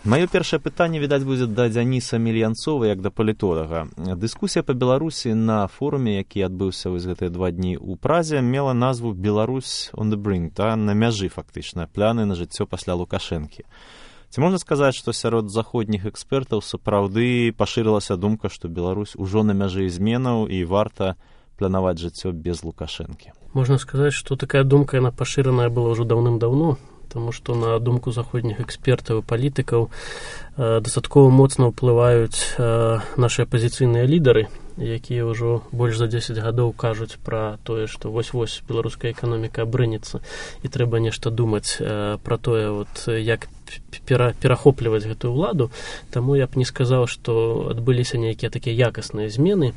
Маё першае пытанне, відаць, будзе да Дзяніса Мільянцова, як да палітолага. Дыскусія па Беларусі на форуме, які адбыўся вось гэтыя 2 дні ў Празе, мела назву «Беларусь on the brink», на мяжы фактычна, пляны на жыццё пасля Лукашэнкі. Ці можна сказаць, што сярод заходніх экспертаў сапраўды пашырылася думка, што Беларусь ужо на мяжы зменаў і варта планаваць жыццё без Лукашэнкі? Можна сказаць, што такая думка, яна пашыраная была ўжо даўным-даўно, тому што на думку заходніх экспертаў і палітыкаў дастаткова моцна ўплываюць нашы апазіцыйныя лідары, якія ўжо больш за 10 гадоў кажуць пра тое, што вось-вось беларуская эканоміка абрынецца і трэба нешта думаць пра тое, як перахопліваць гэтую ўладу. Таму я б не сказаў, што адбыліся нейкія такія якасныя змены.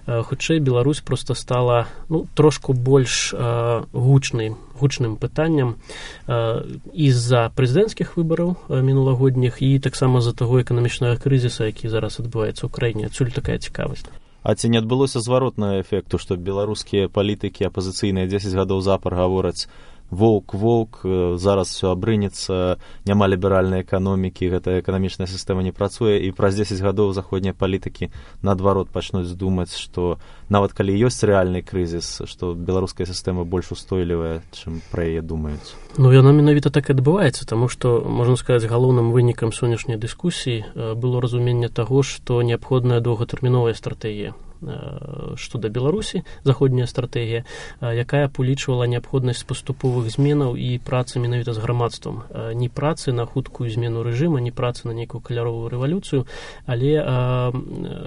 Хутчэй Беларусь проста стала трошку больш гучным пытанням з-за прэзідэнцкіх выбараў мінулагодніх і таксама з-за таго эканамічнага крызіса, які зараз адбываецца ў краіне. Адсюль такая цікавасць. А ці не адбылося зваротнага эфекту, што беларускія палітыкі апазіцыйныя 10 гадоў запар гавораць «воўк, зараз все абрынецца, няма ліберальнай эканомікі, гэта эканамічная сістэма не працуе», і праз 10 гадоў заходнія палітыкі наадварот пачнуць думаць, што нават калі ёсць рэальны крызіс, што беларуская сістэма больш устойлівая, чым пра яе думаюць? Яна менавіта так і адбываецца, таму што, можна сказаць, галоўным вынікам сённяшняй дыскусіі было разуменне таго, што неабходная доўгатэрміновая стратэгія што да Беларусі, заходняя стратэгія, якая палічвала неабходнасць паступовых зменаў і працы менавіта з грамадствам. Не працы на хуткую змену рэжыма, не працы на нейкую каляровую рэвалюцыю, але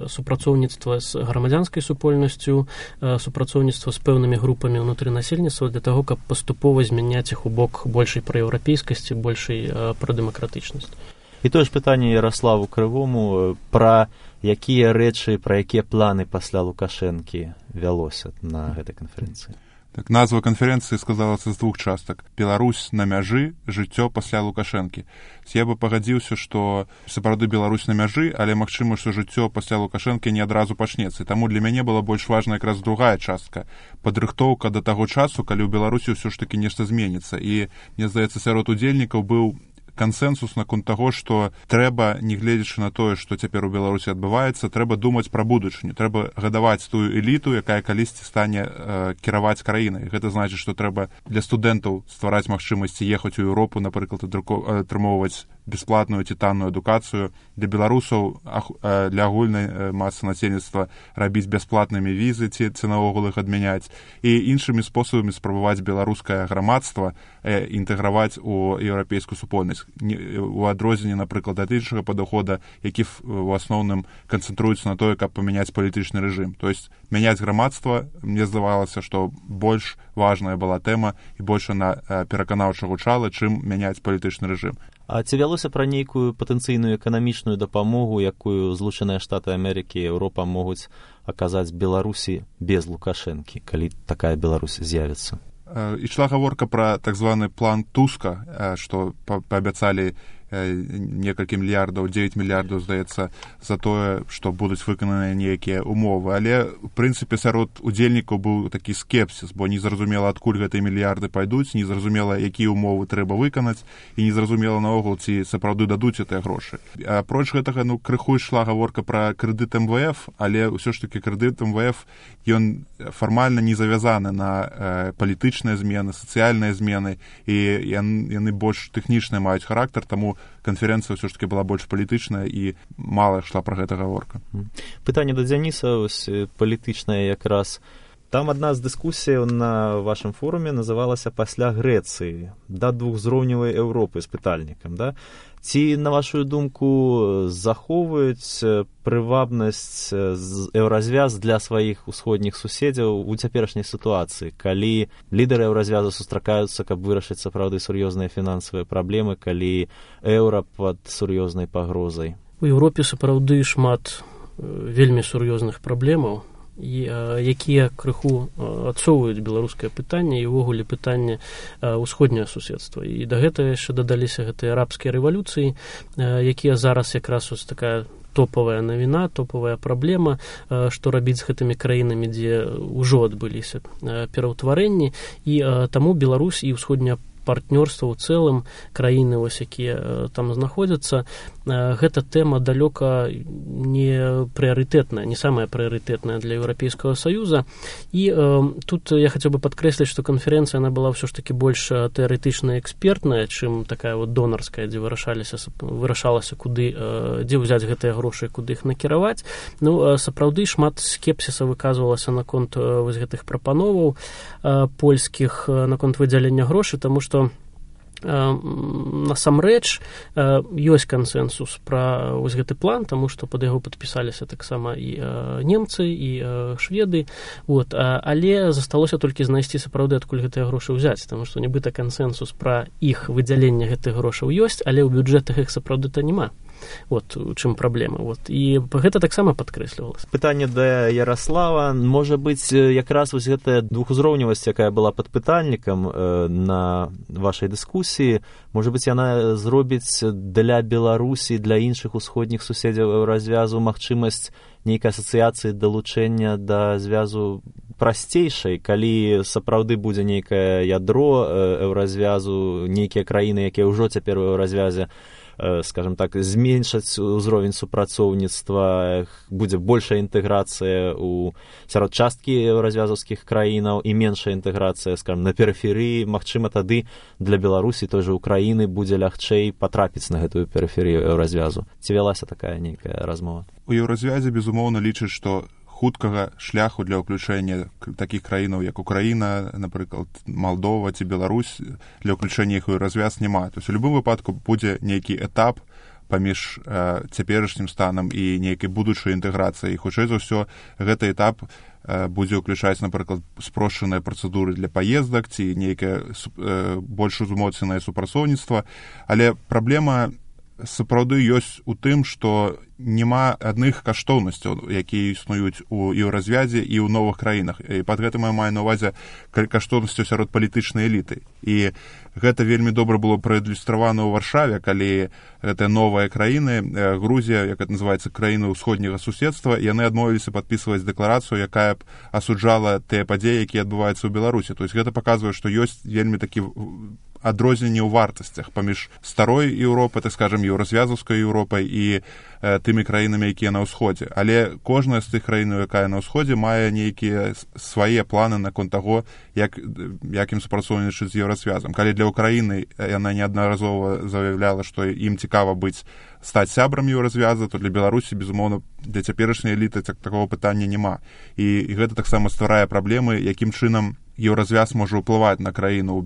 супрацоўніцтва з грамадзянскай супольнасцю, супрацоўніцтва з пэўнымі групамі ўнутры насельніцтва для таго, каб паступова змяняць іх у бок большай праеўрапейскасці, большай прадэмакратычнасці. І тое ж пытанне Яраславу Крывому пра якія рэчы, пра якія планы пасля Лукашэнкі вялося на гэтай канферэнцыі? Так, назва канферэнцыі сказалася з 2 частак. «Беларусь на мяжы, жыццё пасля Лукашэнкі». Я бы пагадзіўся, што сапраўды Беларусь на мяжы, але магчыма, што жыццё пасля Лукашэнкі не адразу пачнецца. І таму для мяне была больш важна якраз другая частка. Падрыхтоўка да таго часу, калі ў Беларусі ўсё ж такі нешта зменіцца. І, мне здаецца, сярод удзельнікаў быў кансэнсус наконт таго, што трэба, не гледзячы на тое, што цяпер у Беларусі адбываецца, трэба думаць пра будучыню, трэба гадаваць тую эліту, якая калісьці стане кіраваць краінай. Гэта значыць, што трэба для студэнтаў ствараць магчымасці ехаць у Еўропу, напрыклад, атрымоўваць бясплатную ці танную адукацыю, для беларусаў, для агульнай масы насельніцтва рабіць бясплатнымі візы ці наогул іх адмяняць, і іншымі спосабамі спрабаваць беларускае грамадства інтэграваць у еўрапейскую супольнасць. У адрозненне, напрыклад, ад іншага падыхода, які в асноўным канцэнтруецца на тое, каб памяняць палітычны рэжым. То есть мяняць грамадства, мне здавалася, што больш важная была тэма і больш она пераканаўча гучала, чым мяняць палітычны рэжым. А ці вялося пра нейкую патэнцыйную эканамічную дапамогу, якую Злучаныя Штаты Амерыкі і Еўропа могуць аказаць Беларусі без Лукашэнкі, калі такая Беларусь з'явіцца? Ішла гаворка пра так званы план Туска, што паабяцалі некалькі мільярдаў, 9 мільярдаў, здаецца, за тое, што будуць выкананыя нейкія умовы. Але, в прынцыпе, сярод удзельнікаў быў такі скепсіс, бо незразумела, адкуль гэтыя мільярды пайдуць, незразумела, якія умовы трэба выканаць, і незразумела наогул, ці сапраўды дадуць гэтыя грошы. Апроч гэтага, крыху ішла гаворка пра крэдыт МВФ, але ўсё ж такі крэдыт МВФ, ён фармальна не завязаны на палітычныя змены, сацыяльныя змены, і яны больш тэхнічныя маюць характар, таму канферэнцыя ўсё ж такі была больш палітычная і мала ішла пра гэта гаворка. Пытанне да Дзяніса палітычнае якраз. Там адна з дыскусіяў на вашым форуме называлася «Пасля Грэцыі» да двухзроўневай Еўропы з пытальнікам, да? Ці, на вашу думку, захоўваюць прывабнасць еўразвяз для сваіх усходніх суседзяў у цяперашняй сітуацыі, калі лідары еўразвязу сустракаюцца, каб вырашыць сапраўды сур'ёзныя фінансавыя праблемы, калі еўра пад сур'ёзнай пагрозай? У Еўропе сапраўды шмат вельмі сур'ёзных праблемаў, якія крыху адсоўваюць беларускае пытанне і ўвогуле пытанне ўсходняе суседства. І да гэтага яшчэ дадаліся гэтыя арабскія рэвалюцыі, якія зараз якраз ось такая топавая навіна, топавая праблема, што рабіць з гэтымі краінамі, дзе ўжо адбыліся пераўтварэнні, і таму Беларусь і ўсходняя партнёрства ў цэлым, краіны, вось, якія там знаходзяцца, гэта тэма далёка не прыярытэтная, не самая прыярытэтная для Еўрапейскага Саюза. І тут я хацеў бы падкрэсліць, што канферэнцыя, она была ўсё ж такі больш тэарэтычна экспертная, чым такая вот донарская, дзе вырашалася, куды, дзе ўзяць гэтыя грошы, куды іх накіраваць. Ну, сапраўды шмат скепсіса выказвалася наконт вось гэтых прапановаў польскіх, наконт выдзялення грошай, таму што насамрэч ёсць кансэнсус пра вось гэты план, таму што пад яго падпісаліся таксама і немцы, і шведы, вот, але засталося толькі знайсці сапраўды, адкуль гэтыя грошы ўзяць, таму што нібыта кансэнсус пра іх выдзяленне гэтых грошаў ёсць, але ў бюджэтах іх сапраўды-то няма. Вот у чым праблема. Вот. І гэта таксама падкрэслівалася. Пытанне да Ярослава. Можа быць, якраз вось гэтая двухузроўневасць, якая была пад пытальнікам на вашай дыскусіі, можа быць, яна зробіць для Беларусі, для іншых усходніх суседзяў еўразвязу магчымасць нейкай асацыяцыі, далучэння да звязу прасцейшай, калі сапраўды будзе нейкае ядро еўразвязу, нейкія краіны, якія ўжо цяпер у еўразвязе, скажем так, зменшаць узровень супрацоўніцтва, будзе большая інтэграцыя сярод часткі еўразвязаўскіх краінаў і меншая інтэграцыя, скажем, на перыферыі. Магчыма, тады для Беларусі, той жа Украіны, будзе лягчэй патрапіць на гэтую перыферыю еўразвязу. Ці вялася такая нейкая размова? У еўразвязе, безумоўна, лічаць, што хуткага шляху для ўключэння такіх краінаў, як Украіна, напрыклад, Малдова ці Беларусь, для ўключэння іх у еўразвяз няма. То есть у любым выпадку будзе нейкі этап паміж цяперашнім станам і нейкай будучай інтэграцыяй. І хутчэй за ўсё гэты этап будзе ўключаць, напрыклад, спрошчаныя працэдуры для паездак ці нейкае больш узмоцненае супрацоўніцтва. Але праблема сапраўды ёсць у тым, што няма адных каштоўнасцяў, якія існуюць у еўразвязе і ў новых краінах. І пад гэтым я маю на ўвазе каштоўнасцяў сярод палітычнай эліты. І гэта вельмі добра было праілюстравана ў Варшаве, калі гэтыя новыя краіны, Грузія, як это называецца, краіны ўсходняга суседства, яны адмовіліся падпісваць дэкларацыю, якая б асуджала тыя падзеі, якія адбываюцца ў Беларусі. То есть гэта паказвае, што ёсць вельмі такі адрозненне ў вартасцях паміж старой Еўропай, так скажем, еўразвязаўскай Еўропай і тымі краінамі, якія на ўсходзе. Але кожная з тых краін, якая на ўсходзе, мае нейкія свае планы наконт таго, як ім супрацоўнічаць з еўразвязам. Калі для Украіны яна неаднаразова заяўляла, што ім цікава стаць сябрам еўразвяза, то для Беларусі, безумоўна, для цяперашняй эліты такого пытання няма. І гэта таксама стварае праблемы, якім чынам еўразвяз можа ўплываць на краіну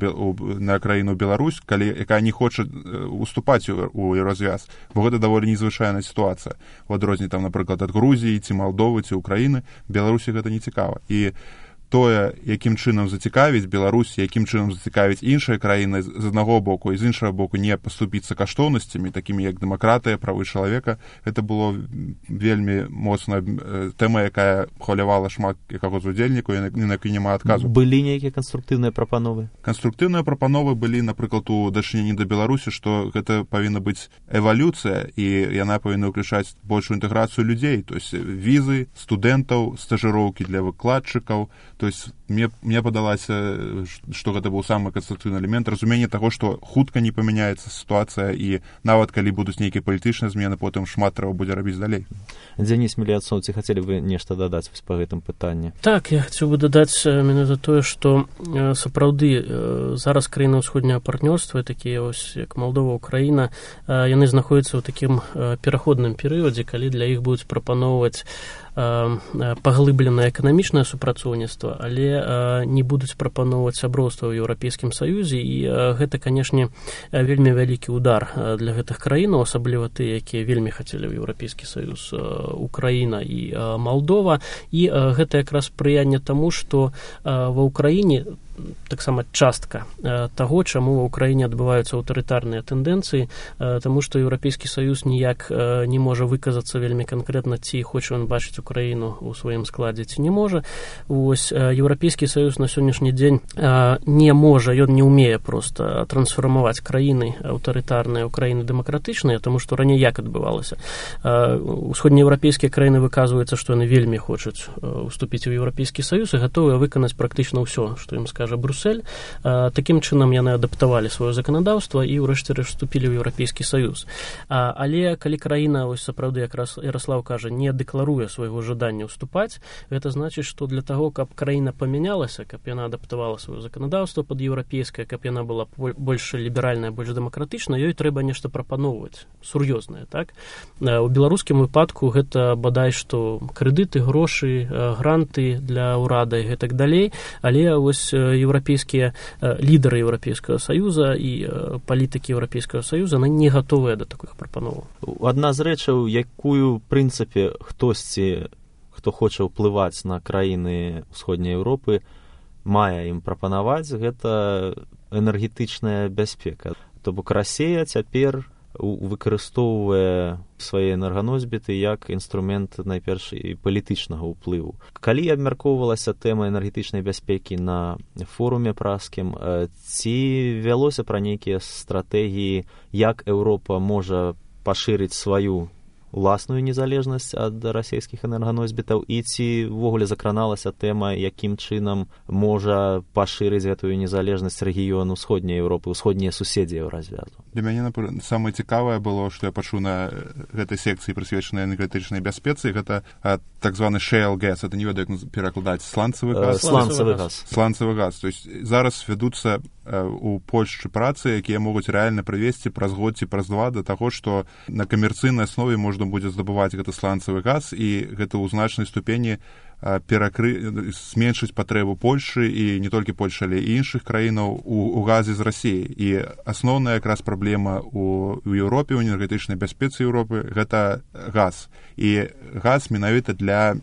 Беларусь, якая не хоча уступаць у еўразвяз, бо гэта даволі незвычайная сітуацыя. У адрозненні, там, напрыклад, ад Грузіі ці Малдовы ці Украіны, Беларусі гэта не цікава. І тое, якім чынам зацікавіць Беларусь, якім чынам зацікавіць іншыя краіны з аднаго боку і з іншага боку не паступіцца каштоўнасцямі, такімі як дэмакратыя, правы чалавека, гэта было вельмі моцная тэма, якая хвалявала шмат якога з удзельнікаў, на якой няма адказу. Былі нейкія канструктыўныя прапановы? Канструктыўныя прапановы былі, напрыклад, у дачыненні да Беларусі, што гэта павінна быць эвалюцыя, і яна павінна ўключаць большую інтэграцыю людзей, то есть візы, студэнтаў, стажыроўкі для выкладчыкаў. То есть мне падалася, што гэта быў самы канструктыўны элемент, разуменне таго, што хутка не памяняецца сітуацыя, і нават калі будуць нейкія палітычныя змены, потым шмат трэба будзе рабіць далей. Дзяніс Меліяцоў, ці хацелі вы нешта дадаць па гэтым пытанні? Так, я хацеў бы дадаць менавіта тое, што сапраўды зараз краіны ўсходняга партнёрства, такія вось як Малдова, Украіна, яны знаходзяцца ў такім пераходным перыядзе, калі для іх будуць прапаноўваць паглыбленае эканамічнае супрацоўніцтва, але не будуць прапаноўваць сяброўства ў Еўрапейскім Саюзе, і гэта, канешне, вельмі вялікі удар для гэтых краінаў, асабліва тыя, якія вельмі хацелі ў Еўрапейскі Саюз, Украіна і Малдова, і гэта якраз спрыянне таму, што ва Ўкраіне таксама частка таго, чаму ва Ўкраіне адбываюцца аўтарытарныя тэндэнцыі, таму што Еўрапейскі Саюз ніяк не можа выказацца вельмі канкрэтна, ці хоча ён бачыць Украіну ў сваім складзе, ці не можа. Вось Еўрапейскі Саюз на сённяшні дзень не можа, ён не ўмее проста трансфармаваць краіны аўтарытарныя ў краіны дэмакратычныя, таму што раней як адбывалася. Усходнееўрапейскія краіны выказваюцца, што яны вельмі хочуць уступіць у Еўрапейскі Саюз і гатовыя выканаць практычна ўсё, што ім скажа кажа Брюссель. Такім чынам яны адаптавалі сваё заканадаўства і ўрэшце рэшт вступілі ў Еўрапейскі Саюз. Але калі краіна, ось сапраўды, як Ярослав кажа, не дэкларуе свайго жадання ўступаць, гэта значыць, што для таго, каб краіна памянялася, каб яна адаптавала сваё заканадаўства пад еўрапейскае, каб яна была больш ліберальная, больш дэмакратычная, ёй трэба нешта прапаноўваць сур'ёзнае, так? У беларускім выпадку гэта бадай што крэдыты, грошы, гранты для ўрада і гэтак далей, але вось еўрапейскія лідары Еўрапейскага Саюза і палітыкі Еўрапейскага Саюза не гатовыя да такіх прапановаў. Адна з рэчаў, якую, в прынцыпе, хтосьці, хто хоча ўплываць на краіны ўсходняй Еўропы, мае ім прапанаваць, гэта энергетычная бяспека. То бок Расія цяпер выкарыстоўвае свае энерганосьбіты як інструмент найперш і палітычнага ўплыву. Калі абмяркоўвалася тэма энергетычнай бяспекі на форуме праскім, ці вялося пра нейкія стратэгіі, як Еўропа можа пашырыць сваю уласную незалежнасць ад расійскіх энерганосьбітаў, і ці ўвогуле закраналася тэма, якім чынам можа пашырыць гэтую незалежнасць рэгіён усходняй Еўропы, усходнія суседзі Еўразвязу? Для мяне, самае цікавае было, што я пачуў на гэтай секцыі, прысвечанай энергетычнай бяспецы, гэта так званы shale gas, это не ведаю, як перакладаць, сланцавы газ. Сланцавы газ. То есть зараз вядуцца у Польшчы працы, якія могуць рэальна прывесці праз год ці праз два да таго, што на камерцыйнай аснове можна будзе здабываць гэты сланцавы газ, і гэта ў значнай ступені зменшыць патрэбу Польшчы і не толькі Польшчы, але і іншых краінаў у газе з Расіі. І асноўная якраз праблема ў Еўропе, у энергетычнай бяспецы Еўропы, гэта газ. І газ менавіта для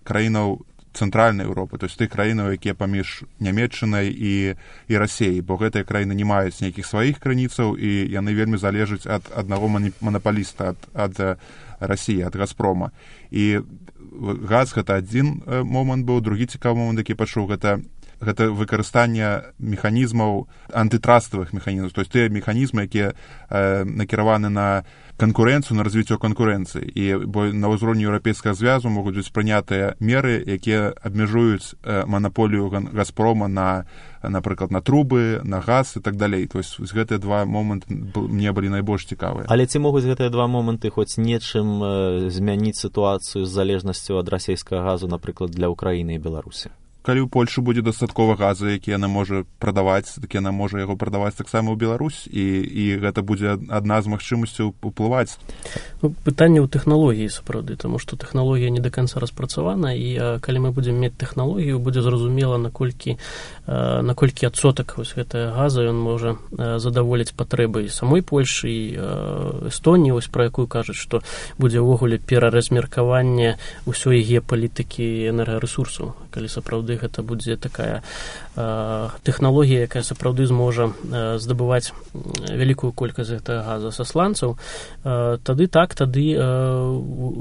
краінаў цэнтральнай Еўропы, то есть тых краінаў, якія паміж Нямецчынай і Расіяй, бо гэтыя краіны не маюць нейкіх сваіх крыніцаў, і яны вельмі залежаць ад аднаго манапаліста, ад Расіі, ад Газпрома. І газ гэта адзін момант быў, другі цікавы момант, які пачуў, гэта выкарыстанне механізмаў, антытраставых механізмаў, то есть тыя механізмы, якія накіраваны на канкурэнцыю, на развіццё канкурэнцыі. І бо на ўзроўні Еўрапейскага звязу могуць быць прынятыя меры, якія абмяжуюць манаполію Газпрома на, напрыклад, на трубы, на газ і так далей. То есть гэтыя два моманты мне былі найбольш цікавыя. Але ці могуць гэтыя два моманты хоць нечым змяніць сітуацыю з залежнасцю ад расійскага газу, напрыклад, для Украіны і Беларусі? Калі ў Польшы будзе дастаткова газу, які яна можа прадаваць, так яна можа яго прадаваць таксама ў Беларусь, і гэта будзе адна з магчымасцяў уплываць. Пытанне ў тэхналогіі, сапраўды, таму што тэхналогія не да канца распрацавана, і калі мы будзем мець тэхналогію, будзе зразумела, наколькі адсотак вось гэтага газа ён можа задаволіць патрэбы і самой Польшы, і Эстоніі, вось пра якую кажуць, што будзе ўвогуле пераразмеркаванне ўсёй геапалітыкі энергарэсурсаў, калі сапраўды гэта будзе такая тэхналогія, якая сапраўды зможа здабываць вялікую колькасць гэтага газа са сланцаў, тады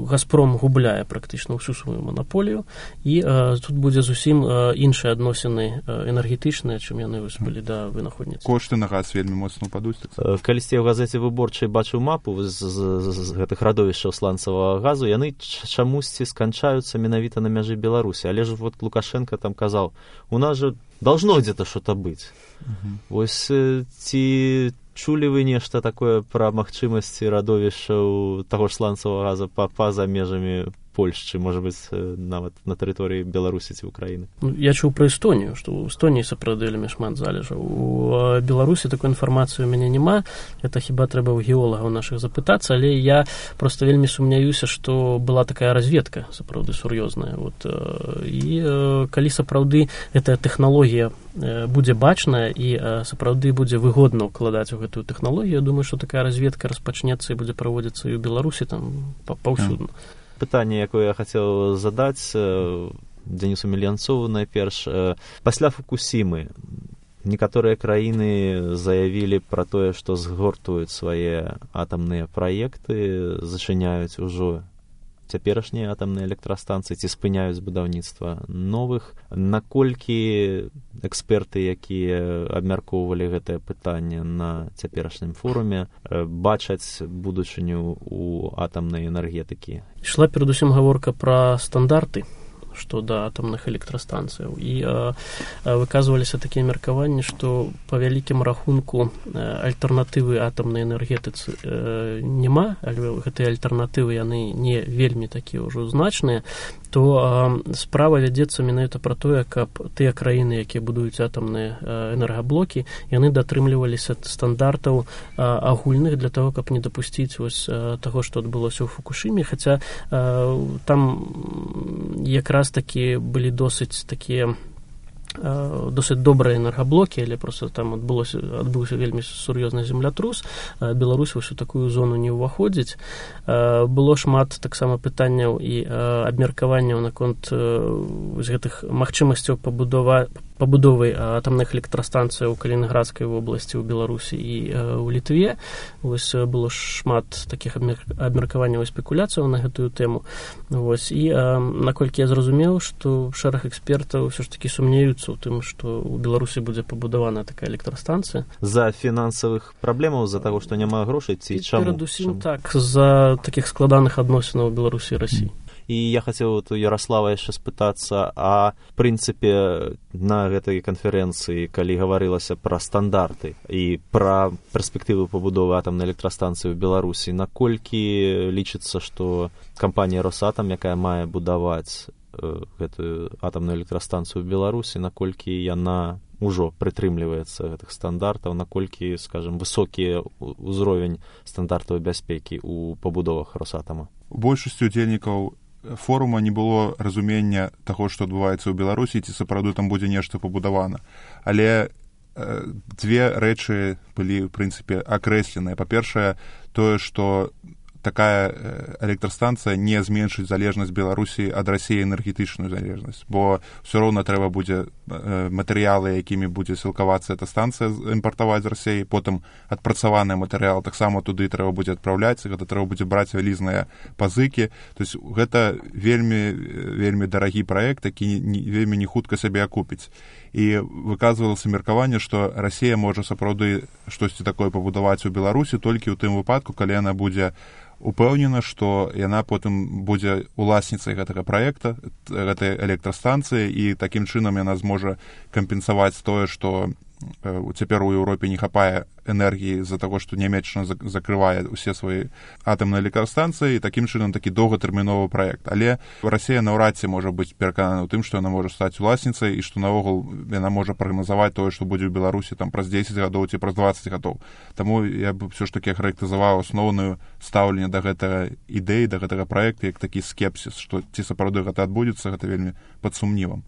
Газпром губляе практычна ўсю сваю манаполію, і тут будзе зусім іншыя адносіны энергетычныя, чым яны былі да вынаходніцтва. Кошты на газ вельмі моцна ўпадуць. Калісьці ў газеце «Выборчай» бачыў мапу з гэтых радовішчаў сланцавага газу, яны чамусьці сканчаюцца менавіта на мяжы Беларусі, але ж вот Лукашенко там казаў, у нас же должно где-то что-то быть. Вось ці чулі вы нешта такое пра магчымасці радовішчаў таго ж сланцавага газа па-за межамі Польшчы, можа быць, нават на тэрыторыі Беларусі ці Украіны? Я чуў пра Эстонію, што ў Эстоніі сапраўды вельмі шмат залежаў. У Беларусі такой інфармацыі ў мяне няма, это хіба трэба ў геолагаў нашых запытацца, але я проста вельмі сумняюся, што была такая разведка сапраўды сур'ёзная. І калі сапраўды гэтая тэхналогія будзе бачная і сапраўды будзе выгодна ўкладаць у гэтую тэхналогію, я думаю, што такая разведка распачнецца і будзе праводзіцца і ў Беларусі там паўсюдна. Пытанне, якое я хацеў задаць Денису Мельянцову найперш. Пасля Фукусімы некаторыя краіны заявілі пра тое, што згортуюць свае атамныя праекты, зачыняюць ужо цяперашнія атамныя электрастанцыі ці спыняюць будаўніцтва новых. Наколькі эксперты, якія абмяркоўвалі гэтае пытанне на цяперашнім форуме, бачаць будучыню ў атамнай энергетыкі? Ішла перадусім гаворка пра стандарты, што да атамных электрастанцыяў. І выказваліся такія меркаванні, што па вялікім рахунку альтэрнатывы атамнай энергетыцы няма, але гэтыя альтэрнатывы яны не вельмі такія ўжо значныя, то справа вядзецца менавіта пра тое, каб тыя краіны, якія будуюць атамныя энергаблокі, яны дотрымліваліся стандартаў агульных для того, каб не дапусціць вось таго, што адбылося ў Фукушыме, хаця там якраз такі былі досыць добрыя энергаблокі, але проста там адбыўся вельмі сур'ёзны землятрус. Беларусь вось у такую зону не ўваходзіць. Было шмат таксама пытанняў і абмеркаванняў наконт гэтых магчымасцяў пабудовы атамных электрастанцый у Калінінградскай вобласці, ў Беларусі і ў Літве. Вось было шмат такіх абмеркаванняў і спекуляцыяў на гэтую тэму. Вось. І наколькі я зразумеў, што шэраг экспертаў ўсё ж такі сумнеюцца ў тым, што ў Беларусі будзе пабудавана такая электрастанцыя. За фінансавых праблемаў, з-за таго, што няма грошай, ці чаму? Перадусім так, з-за такіх складаных адносінаў Беларусі і Расіі. І я хацеў у Ярослава яшчэ спытацца, а в прынцыпе на гэтай канферэнцыі, калі гаварылася пра стандарты і пра перспектывы пабудовы атамнай электрастанцыі ў Беларусі, наколькі лічыцца, што кампанія «Росатам», якая мае будаваць гэтую атамную электрастанцыю ў Беларусі, наколькі яна ўжо прытрымліваецца гэтых стандартаў, наколькі, скажем, высокі ўзровень стандартаў бяспекі ў пабудовах «Росатама»? У большасці удзельнікаў форума не было разумення таго, што адбываецца ў Беларусі, ці сапраўды там будзе нешта пабудавана. Але дзве рэчы былі, ў прынцыпе, акрэсленыя. Па-першае, тое, што такая электрастанцыя не зменшыць залежнасць Беларусі ад Расіі, энергетычную залежнасць, бо ўсё роўна трэба будзе матэрыялы, якімі будзе сілкавацца эта станцыя, імпартаваць з Расіі, потым адпрацаваны матэрыял таксама туды трэба будзе адпраўляць, гэта трэба будзе браць вялізныя пазыкі. То есть гэта вельмі дарагі праект, які вельмі не хутка сябе акупіць. І выказвалася меркаванне, што Расія можа сапраўды штосьці такое пабудаваць у Беларусі толькі ў тым выпадку, калі яна будзе упэўнена, што яна потым будзе уласніцай гэтага праекта, гэтай электрастанцыі, і такім чынам яна зможа кампенсаваць тое, што цяпер у Еўропе не хапае энергіі з-за таго, што Нямецчына закрывае ўсе свае атамныя электрастанцыі, і такім чынам такі доўгатэрміновы праект. Але Расія наўрад ці можа быць пераканана ў тым, што яна можа стаць уласніцай і што наогул яна можа прагназаваць тое, што будзе ў Беларусі там праз 10 гадоў ці праз 20 гадоў. Таму я б ўсё ж такі характарызаваў асноўную стаўленне да гэтага ідэі, да гэтага праекта як такі скепсіс, што ці сапраўды гэта адбудзецца, гэта вельмі пад сумнівам.